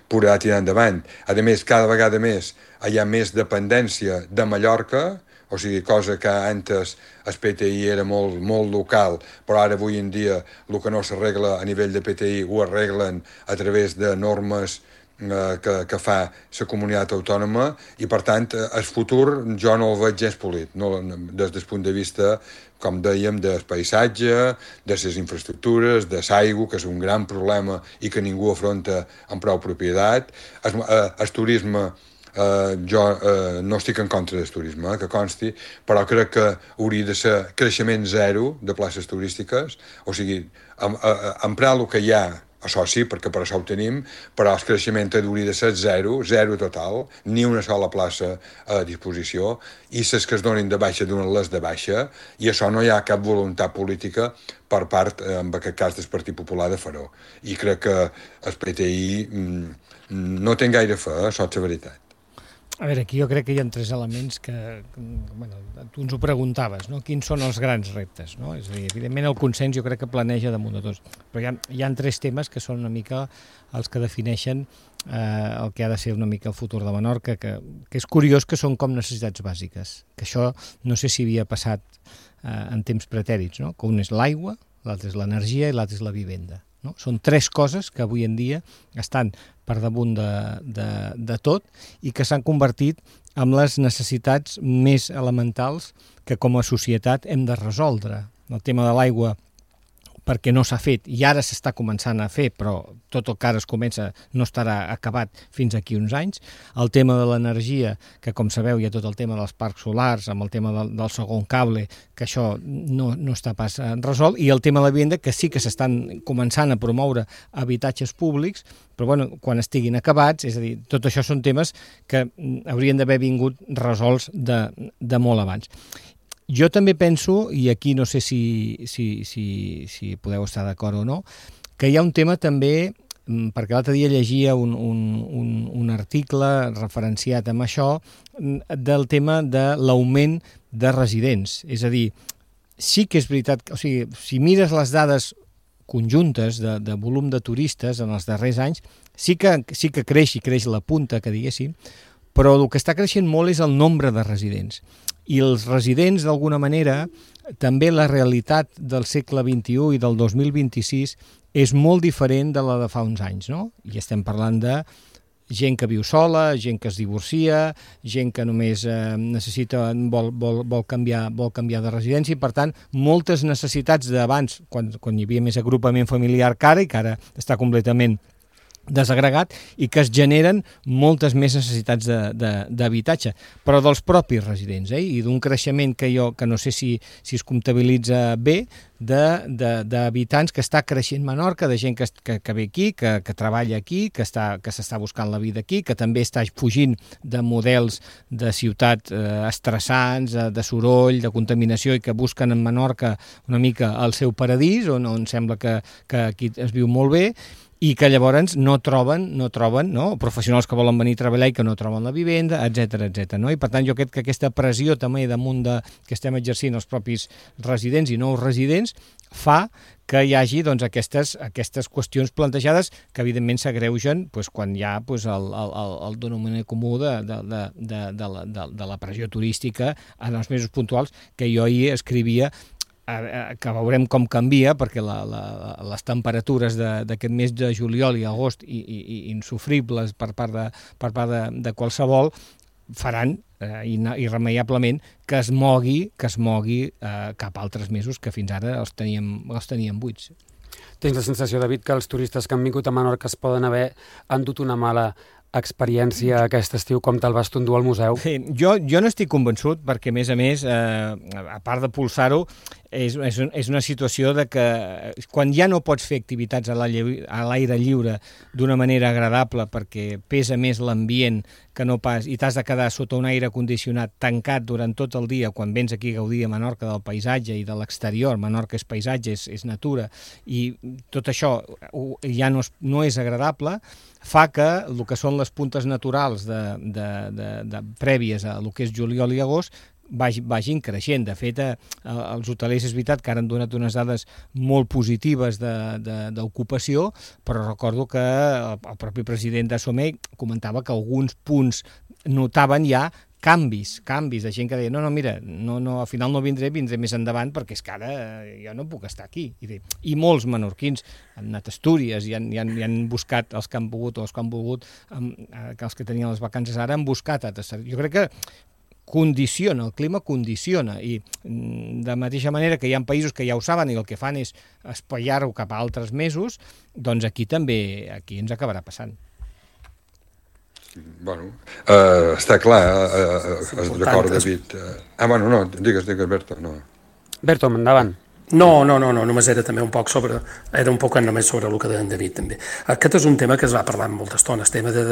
podrà tirar endavant. A més, cada vegada més hi ha més dependència de Mallorca, o sigui, cosa que antes el PTI era molt local, però ara avui en dia el que no s'arregla a nivell de PTI ho arreglen a través de normes que fa la comunitat autònoma, i per tant el futur jo no el veig gens polit, des del punt de vista, com dèiem, del paisatge, de les infraestructures, de l'aigua, que és un gran problema i que ningú afronta amb prou propietat. El turisme, jo no estic en contra del turisme, que consti, però crec que hauria de ser creixement zero de places turístiques, o sigui, emprar el que hi ha, això sí, perquè per això ho tenim, però el creixement hauria de ser zero total, ni una sola plaça a disposició, i les que es donin de baixa donen les de baixa, i això no hi ha cap voluntat política per part, en aquest cas, del Partit Popular de fer-ho. I crec que el PTI no té gaire fe, això és la veritat. A veure, aquí jo crec que hi ha tres elements que tu ens ho preguntaves, no? Quins són els grans reptes, no? És a dir, evidentment el consens jo crec que planeja damunt de tots, però hi ha tres temes que són una mica els que defineixen el que ha de ser una mica el futur de Menorca, que és curiós que són com necessitats bàsiques, que això no sé si havia passat en temps pretèrits, no? Que un és l'aigua, l'altre és l'energia i l'altre és la vivenda. No? Són tres coses que avui en dia estan per damunt de tot i que s'han convertit amb les necessitats més elementals que com a societat hem de resoldre. El tema de l'aigua, perquè no s'ha fet, i ara s'està començant a fer, però tot el que ara es comença no estarà acabat fins aquí uns anys. El tema de l'energia, que com sabeu hi ha tot el tema dels parcs solars, amb el tema del segon cable, que això no està pas resolt, i el tema de la vivenda, que sí que s'estan començant a promoure habitatges públics, però bueno, quan estiguin acabats, és a dir, tot això són temes que haurien d'haver vingut resolts de molt abans. Jo també penso, i aquí no sé si podeu estar d'acord o no, que hi ha un tema també, perquè l'altre dia llegia un article referenciat amb això, del tema de l'augment de residents. És a dir, sí que és veritat, o sigui, si mires les dades conjuntes de volum de turistes en els darrers anys, sí que creix la punta, que diguéssim, però el que està creixent molt és el nombre de residents. I els residents, d'alguna manera, també la realitat del segle XXI i del 2026 és molt diferent de la de fa uns anys, no? I estem parlant de gent que viu sola, gent que es divorcia, gent que només vol canviar de residència, i per tant, moltes necessitats d'abans, quan hi havia més agrupament familiar que ara, i que ara està completament desagregat, i que es generen moltes més necessitats d'habitatge, però dels propis residents, i d'un creixement que no sé si es comptabilitza bé, d'habitants que està creixent Menorca, de gent que ve aquí, que treballa aquí, que s'està buscant la vida aquí, que també està fugint de models de ciutat estressants, de soroll, de contaminació, i que busquen en Menorca una mica el seu paradís, on sembla que aquí es viu molt bé, i que llavors no troben professionals que volen venir a treballar i que no troben la vivenda, etc. No? I per tant jo crec que aquesta pressió també damunt que estem exercint els propis residents i nous residents fa que hi hagi aquestes qüestions plantejades que evidentment s'agreugen quan hi ha el denominador comú de la pressió turística en els mesos puntuals, que jo ahir escrivia que veurem com canvia, perquè les temperatures d'aquest mes de juliol i agost insufribles per part de qualsevol faran irremeiablement que es mogui cap a altres mesos que fins ara els teníem buits. Tens la sensació, David, que els turistes que han vingut a Menorca es poden haver endut una mala experiència aquest estiu, com te'l vas endur al museu? Sí, jo no estic convençut, perquè a més, a part de pulsar-ho, és una situació de que quan ja no pots fer activitats a l'aire lliure d'una manera agradable perquè pesa més l'ambient que no pas, i t'has de quedar sota un aire condicionat tancat durant tot el dia quan vens aquí a gaudir a Menorca del paisatge i de l'exterior. Menorca és paisatge, és natura, i tot això ja no és agradable, fa que el que són les puntes naturals prèvies a el que és juliol i agost vagin creixent. De fet, els hotelers és veritat que ara han donat unes dades molt positives d'ocupació, però recordo que el propi president de Somé comentava que alguns punts notaven ja canvis de gent que deia mira, al final no vindré més endavant perquè és que ara jo no puc estar aquí. I molts menorquins han anat a Astúries i han buscat, els que han pogut o els que han volgut, els que tenien les vacances ara han buscat altres. Jo crec que el clima condiciona, i de mateixa manera que hi ha països que ja ho saben i el que fan és espaiar-ho cap a altres mesos, doncs aquí ens acabarà passant. Bueno, està clar, d'acord, David. No, digues, Berto. Berto, endavant. No, només era també un poc sobre el que deia en David també. Aquest és un tema que es va parlar molta estona, el tema de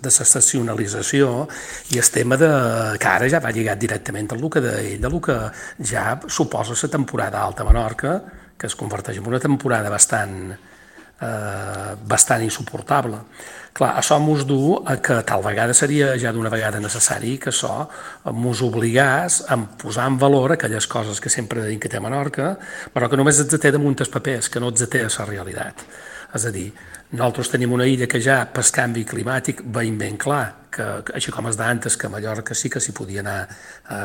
desestacionalització, i el tema que ara ja va lligat directament al que deia ell, del que ja suposa la temporada alta a Menorca, que es converteix en una temporada bastant insuportable. Clar, això mos du a que tal vegada seria ja d'una vegada necessari que això mos obligàs a posar en valor aquelles coses que sempre deim que té Menorca, però que només els té damunt els papers, que no els té a la realitat. És a dir, nosaltres tenim una illa que ja, per canvi climàtic, veiem ben clar així com es d'antes, que a Mallorca sí que s'hi podia anar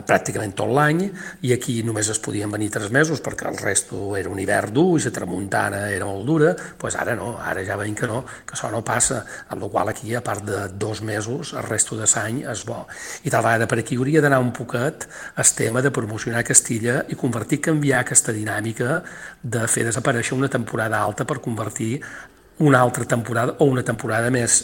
pràcticament tot l'any, i aquí només es podien venir 3 mesos perquè el resto era un hivern dur i la tramuntana era molt dura, doncs ara no, ara ja veiem que no, que això no passa, amb la qual aquí, a part de 2 mesos, el resto de l'any és bo. I tal vegada per aquí hauria d'anar un poquet el tema de promocionar Castilla i canviar aquesta dinàmica de fer desaparèixer una temporada alta per convertir una altra temporada o una temporada més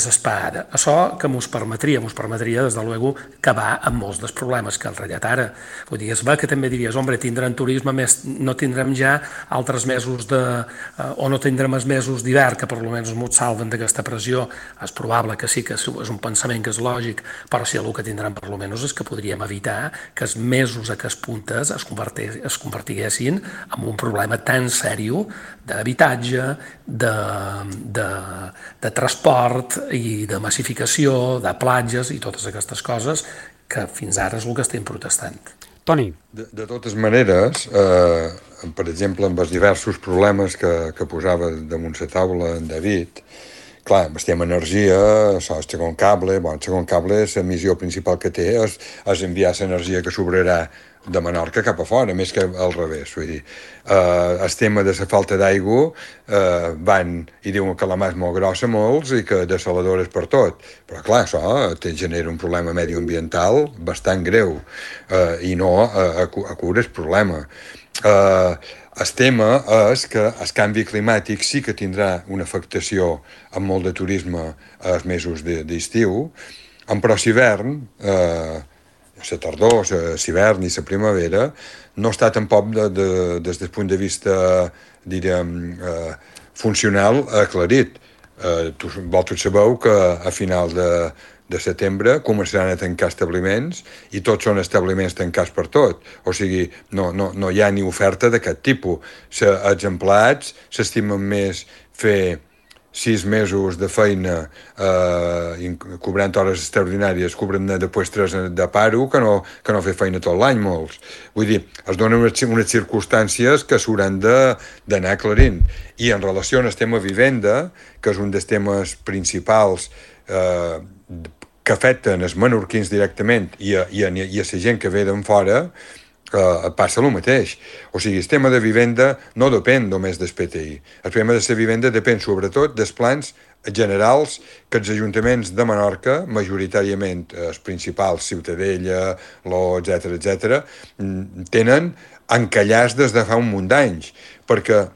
esperada. Això que mos permetria, des de luego, acabar amb molts dels problemes que han ratllat ara. Vull dir, és bé que també diries, hombre, tindrem turisme més, no tindrem ja altres mesos o no tindrem els mesos d'hivern, que per almenys ens salven d'aquesta pressió. És probable que sí, que és un pensament que és lògic, però sí, el que tindrem per almenys és que podríem evitar que els mesos a què es puntes es convertiguessin en un problema tan sèrio d'habitatge, de transport, i de massificació, de platges i totes aquestes coses que fins ara és el que estem protestant. Toni. De totes maneres, per exemple, amb els diversos problemes que posava damunt la taula en David, clar, estem energia, el segon cable, la missió principal que té és enviar l'energia que sobrarà de Menorca cap a fora, més que al revés. Vull dir, el tema de la falta d'aigua van i diuen que la mà és molt grossa molts i que desaladores per tot, però clar, això genera un problema medioambiental bastant greu i no cura el problema. El tema és que el canvi climàtic sí que tindrà una afectació amb molt de turisme als mesos d'estiu, però l'hivern, la tardor, l'hivern i la primavera, no està tampoc des del punt de vista, diríem, funcional aclarit. Vosaltres sabeu que a final de setembre començaran a tancar establiments i tots són establiments tancats per tot. O sigui, no hi ha ni oferta d'aquest tipus. Els empleats s'estimen més fer 6 mesos de feina cobrant hores extraordinàries, cobrant després 3 de paro, que no fer feina tot l'any, molts. Vull dir, es donen unes circumstàncies que s'hauran d'anar aclarint. I en relació al tema vivenda, que és un dels temes principals que afecten els menorquins directament i a la gent que ve d'en fora, passa el mateix. O sigui, el tema de vivenda no depèn només del PTI. El tema de la vivenda depèn sobretot dels plans generals que els ajuntaments de Menorca, majoritàriament els principals, Ciutadella, etc., tenen encallats des de fa un munt d'anys, perquè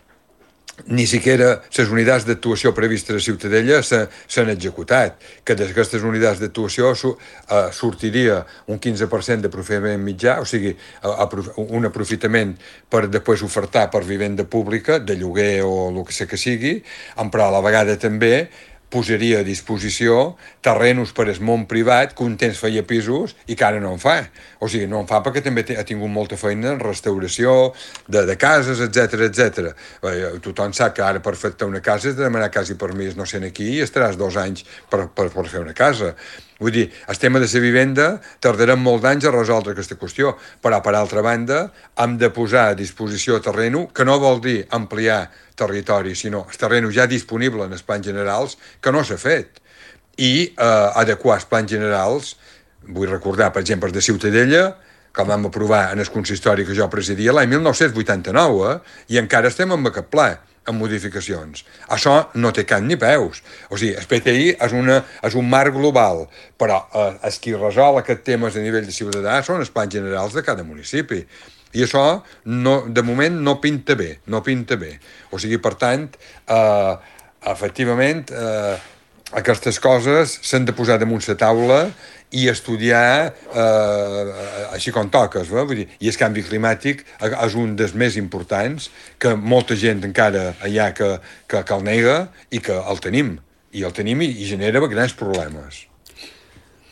ni siquiera les unitats d'actuació previstes a Ciutadella s'han executat, que d'aquestes unitats d'actuació sortiria un 15% d'aprofitament mitjà, o sigui, un aprofitament per després ofertar per vivenda pública, de lloguer o el que sigui, però a la vegada també posaria a disposició terrenos per al món privat que un temps feia pisos i que ara no en fa. O sigui, no en fa perquè també ha tingut molta feina en restauració de cases, etc. Tothom sap que ara per fer una casa has de demanar quasi permís no sé aquí i estaràs 2 anys per fer una casa. Vull dir, el tema de la vivenda tardarem molts anys a resoldre aquesta qüestió, però per altra banda hem de posar a disposició terreno, que no vol dir ampliar territori, sinó el terreno ja disponible en els plans generals, que no s'ha fet, i adequar els plans generals. Vull recordar, per exemple, de Ciutadella, que el vam aprovar en el consistori que jo presidia l'any 1989, i encara estem amb aquest pla, amb modificacions. Això no té cap ni peus. O sigui, el PTI és un marc global, però els qui resol aquests temes a nivell de ciutadà són els plans generals de cada municipi. I això, de moment, no pinta bé. O sigui, per tant, efectivament, aquestes coses s'han de posar damunt la taula i estudiar així com toques. Vull dir, i el canvi climàtic és un dels més importants, que molta gent encara hi ha que el nega, i que el tenim i genera grans problemes.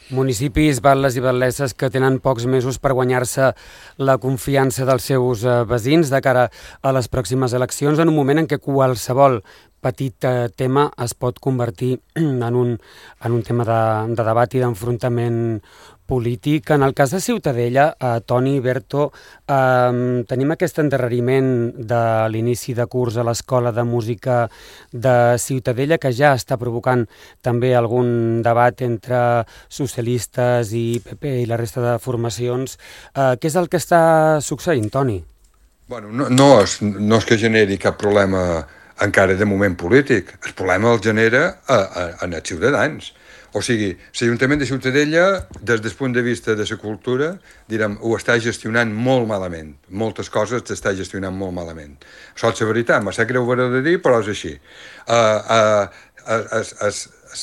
Municipis, batlles i batlesses que tenen pocs mesos per guanyar-se la confiança dels seus veïns de cara a les pròximes eleccions, en un moment en què qualsevol petit tema es pot convertir en un tema de debat i d'enfrontament polític. En el cas de Ciutadella, Toni, Berto, tenim aquest endarreriment de l'inici de curs a l'Escola de Música de Ciutadella, que ja està provocant també algun debat entre socialistes i PP i la resta de formacions. Què és el que està succeint, Toni? Bueno, no és que generi cap problema encara de moment polític. El problema el genera en els ciutadans. O sigui, l'Ajuntament de Ciutadella, des del punt de vista de la cultura, direm, ho està gestionant molt malament. Moltes coses s'està gestionant molt malament. Això és la veritat, m'ha sap greu haver de dir, però és així.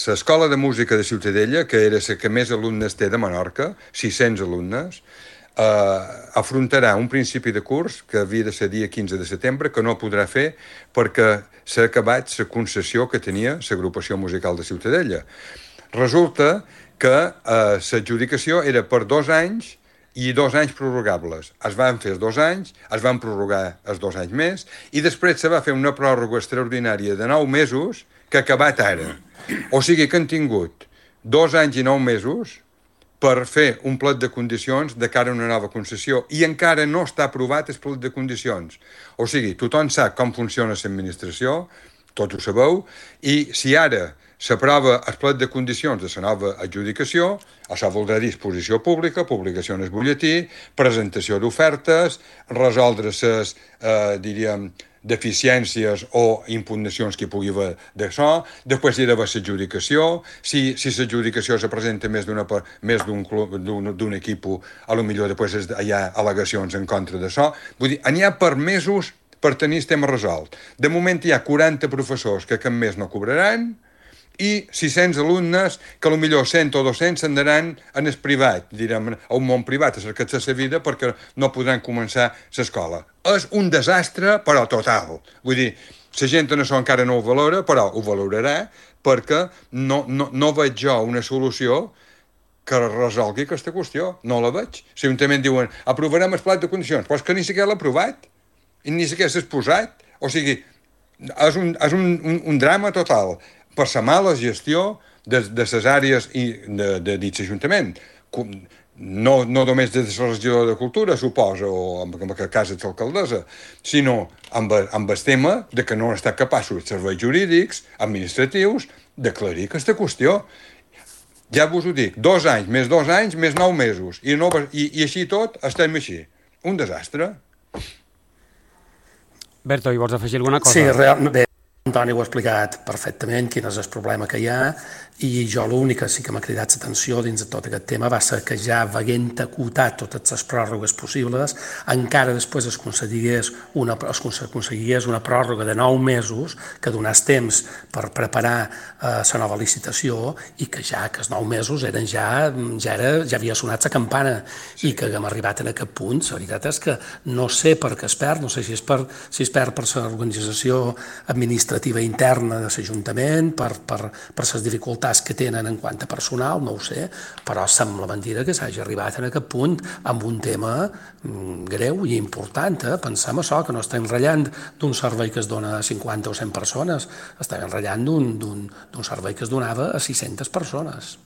L'Escola de Música de Ciutadella, que era la que més alumnes té de Menorca, 600 alumnes, afrontarà un principi de curs que havia de ser dia 15 de setembre, que no podrà fer perquè s'ha acabat la concessió que tenia l'agrupació musical de Ciutadella. Resulta que l'adjudicació era per 2 anys i 2 anys prorrogables. Es van fer els 2 anys, es van prorrogar els 2 anys més, i després se va fer una pròrroga extraordinària de 9 mesos que ha acabat ara. O sigui que han tingut 2 anys i 9 mesos per fer un plet de condicions de cara a una nova concessió, i encara no està aprovat el plet de condicions. O sigui, tothom sap com funciona l'administració, tots ho sabeu, i si ara s'aprova el plet de condicions de la nova adjudicació, això voldrà dir exposició pública, publicació en el butlletí, presentació d'ofertes, resoldre les, diríem, deficiències o impugnacions que hi pugui haver d'això, després hi ha d'haver l'adjudicació, si l'adjudicació se presenta més d'un equip, potser després hi ha al·legacions en contra d'això. Vull dir, n'hi ha per mesos per tenir el tema resolt. De moment hi ha 40 professors que cap mes no cobraran, i 600 alumnes que potser 100 o 200 s'anaran en el privat, direm, a un món privat, a cercar-se la vida perquè no podran començar l'escola. És un desastre, però total. Vull dir, la gent en això encara no ho valora, però ho valorarà perquè no veig jo una solució que resolgui aquesta qüestió. No la veig. Si l'Ajuntament diuen, aprovarem el plat de condicions, però és que ni siquiera l'ha aprovat, i ni siquiera s'ha exposat. O sigui, és un drama total per la mala gestió de les àrees de dit l'Ajuntament. No només des de la regidora de Cultura, suposa, o en aquest cas de l'alcaldessa, sinó amb el tema de que no han estat capaços els serveis jurídics, administratius, d'aclarir aquesta qüestió. Ja vos ho dic, 2 anys, més 2 anys, més 9 mesos, i així tot estem així. Un desastre. Berto, hi vols afegir alguna cosa? Sí, realment. Antoni ho ha explicat perfectament, quin és el problema que hi ha, i jo l'únic que sí que m'ha cridat l'atenció dins de tot aquest tema va ser que ja veient acotat totes les pròrrogues possibles, encara després es aconseguigués una pròrroga de 9 mesos que donés temps per preparar la nova licitació, i que ja que els 9 mesos ja havia sonat la campana, i que haguem arribat en aquest punt. La veritat és que no sé per què es perd, no sé si es perd per l'organització administrativa interna de l'Ajuntament, per les dificultats que tenen en quant a personal, no ho sé, però sembla mentida que s'hagi arribat en aquest punt amb un tema greu i important. Pensem això, que no estem ratllant d'un servei que es dona a 50 o 100 persones, estem ratllant d'un servei que es donava a 600 persones.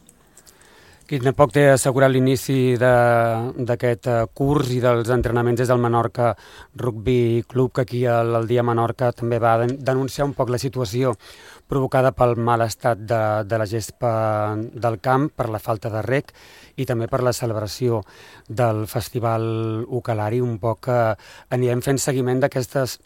Qui tampoc té assegurat l'inici d'aquest curs i dels entrenaments des del Menorca Rugby Club, que aquí al Dia Menorca també va denunciar un poc la situació provocada pel mal estat de la gespa del camp, per la falta de reg i també per la celebració del Festival Ucalari. Un poc anirem fent seguiment d'aquestes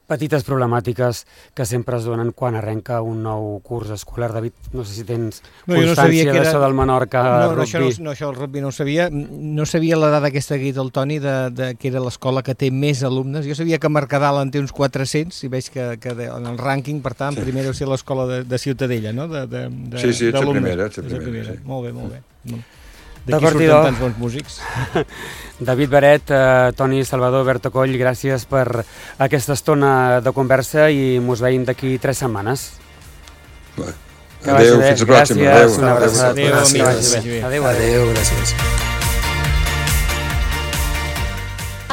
petites problemàtiques que sempre es donen quan arrenca un nou curs escolar. David, no sé si tens constància d'això del Menorca Rugby. No, això del rugby no ho sabia. No sabia la dada aquesta que ha dit el Toni, que era l'escola que té més alumnes. Jo sabia que Mercadal en té uns 400, i veig que en el rànquing, per tant, primer deu ser l'escola de Ciutadella, no? Sí, és la primera. Molt bé. D'aquí surten tants bons músics. David Beret, Toni Salvador, Berto Coll, gràcies per aquesta estona de conversa i mos veiem d'aquí 3 setmanes. Adéu, fins la pròxima. Adéu, gràcies.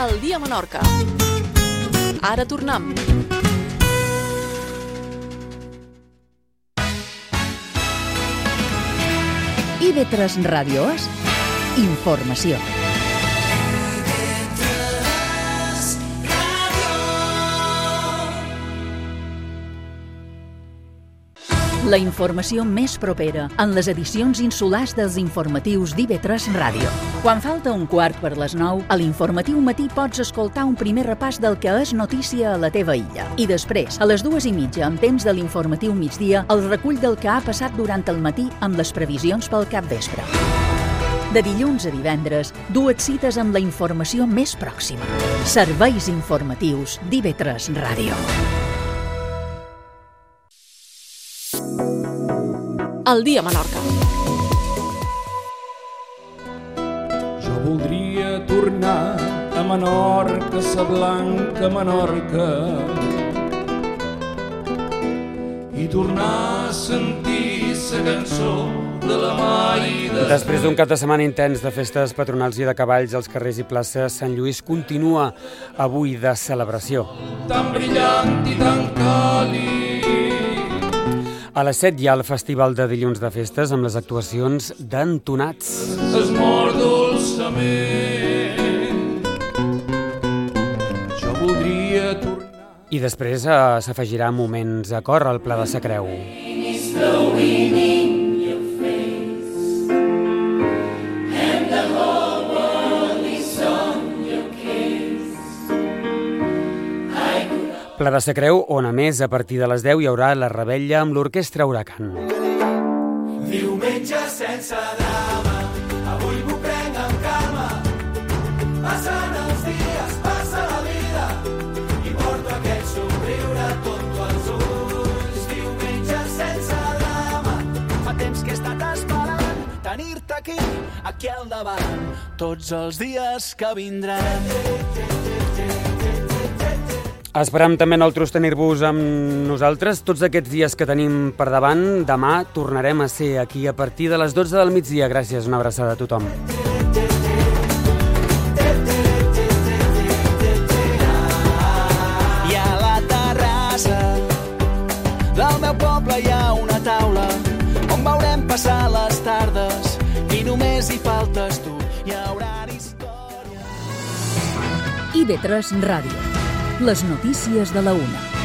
El Dia Menorca. Ara tornem. IB3 Ràdio és informació. La informació més propera en les edicions insulars dels informatius d'IB3 Ràdio. Quan falta un quart per les 9, a l'informatiu matí pots escoltar un primer repàs del que és notícia a la teva illa. I després, a les 2:30, en temps de l'informatiu migdia, el recull del que ha passat durant el matí amb les previsions pel capvespre. De dilluns a divendres, dues cites amb la informació més pròxima. Serveis informatius d'IB3 Ràdio. El dia a Menorca. Jo voldria tornar a Menorca, sa blanca Menorca, i tornar a sentir sa cançó de la Maida. Després d'un cap de setmana intens de festes patronals i de cavalls als carrers i places, Sant Lluís continua avui de celebració. Tan brillant i tan càlid. A les 7 hi ha el Festival de Dilluns de Festes amb les actuacions d'entonats. Es mor dolçament. Jo voldria tornar. I després s'afegirà moments a cor al Pla de sa Creu. Pla de sa Creu, on a més a partir de les 10 hi haurà la revetlla amb l'Orquestra Huracan. Diumenge sense drama, avui m'ho prenc amb calma. Passen els dies, passa la vida, i porto aquest somriure tonto als ulls. Diumenge sense drama, fa temps que he estat esperant tenir-te aquí al davant, tots els dies que vindran. Esperam també nosaltres tenir-vos amb nosaltres tots aquests dies que tenim per davant. Demà tornarem a ser aquí a partir de les 12 del migdia. Gràcies, una abraçada a tothom. I a la terrassa del meu poble hi ha una taula on veurem passar les tardes i només hi faltes tu. Hi haurà història. IB3 Ràdio. Les notícies de la 1.